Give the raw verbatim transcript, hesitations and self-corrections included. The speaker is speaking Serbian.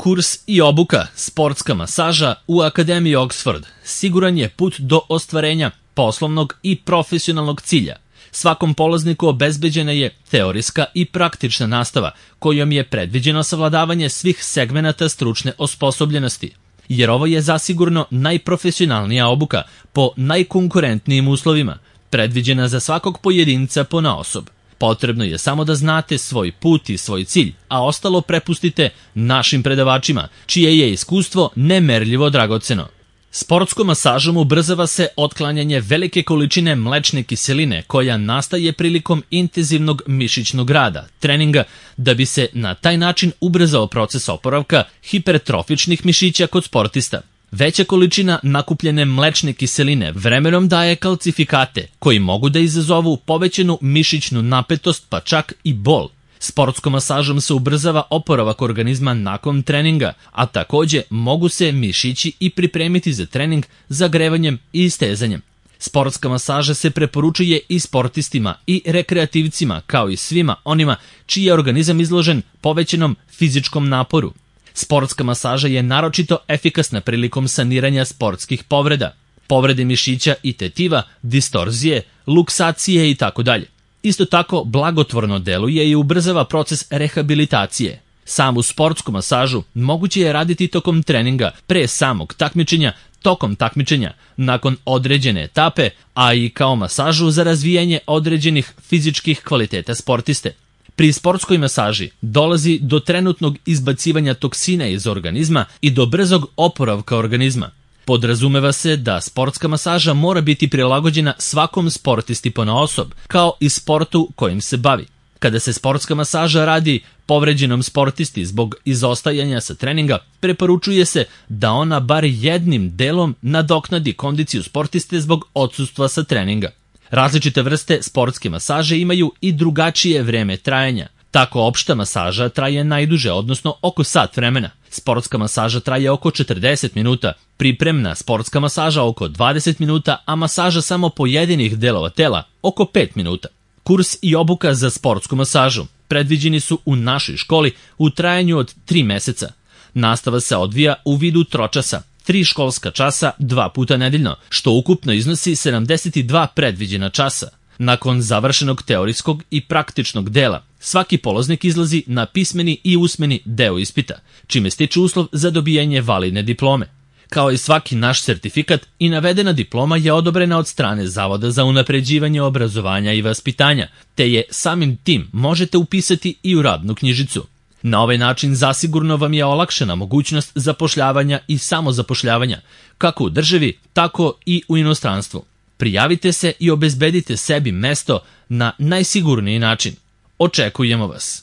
Kurs i obuka, sportska masaža u Akademiji Oxford siguran je put do ostvarenja poslovnog i profesionalnog cilja. Svakom polazniku obezbeđena je teorijska i praktična nastava kojom je predviđeno savladavanje svih segmenata stručne osposobljenosti, jer ovo je zasigurno najprofesionalnija obuka po najkonkurentnijim uslovima, predviđena za svakog pojedinca ponaosob. Potrebno je samo da znate svoj put i svoj cilj, a ostalo prepustite našim predavačima, čije je iskustvo nemerljivo dragoceno. Sportskom masažom ubrzava se otklanjanje velike količine mlečne kiseline koja nastaje prilikom intenzivnog mišićnog rada, treninga, da bi se na taj način ubrzao proces oporavka hipertrofičnih mišića kod sportista. Veća količina nakupljene mlečne kiseline vremenom daje kalcifikate koji mogu da izazovu povećanu mišićnu napetost pa čak i bol. Sportskom masažom se ubrzava oporavak organizma nakon treninga, a takođe mogu se mišići i pripremiti za trening zagrevanjem i istezanjem. Sportska masaža se preporučuje i sportistima i rekreativcima kao i svima onima čiji je organizam izložen povećanom fizičkom naporu. Sportska masaža je naročito efikasna prilikom saniranja sportskih povreda, povrede mišića i tetiva, distorzije, luksacije itd. Isto tako blagotvorno deluje i ubrzava proces rehabilitacije. Samu sportsku masažu moguće je raditi tokom treninga, pre samog takmičenja, tokom takmičenja, nakon određene etape, a i kao masažu za razvijanje određenih fizičkih kvaliteta sportiste. Pri sportskoj masaži dolazi do trenutnog izbacivanja toksina iz organizma i do brzog oporavka organizma. Podrazumeva se da sportska masaža mora biti prilagođena svakom sportisti ponaosob, kao i sportu kojim se bavi. Kada se sportska masaža radi povređenom sportisti zbog izostajanja sa treninga, preporučuje se da ona bar jednim delom nadoknadi kondiciju sportiste zbog odsustva sa treninga. Različite vrste sportske masaže imaju i drugačije vreme trajanja. Tako opšta masaža traje najduže, odnosno oko sat vremena. Sportska masaža traje oko četrdeset minuta, pripremna sportska masaža oko dvadeset minuta, a masaža samo pojedinih delova tela oko pet minuta. Kurs i obuka za sportsku masažu predviđeni su u našoj školi u trajanju od tri meseca. Nastava se odvija u vidu tročasa, tri školska časa dva puta nedeljno, što ukupno iznosi sedamdeset dva predviđena časa. Nakon završenog teorijskog i praktičnog dela, svaki polaznik izlazi na pismeni i usmeni deo ispita, čime stiče uslov za dobijanje validne diplome. Kao i svaki naš sertifikat, i navedena diploma je odobrena od strane Zavoda za unapređivanje obrazovanja i vaspitanja, te je samim tim možete upisati i u radnu knjižicu. Na ovaj način zasigurno vam je olakšana mogućnost zapošljavanja i samozapošljavanja, kako u državi, tako i u inostranstvu. Prijavite se i obezbedite sebi mesto na najsigurniji način. Očekujemo vas!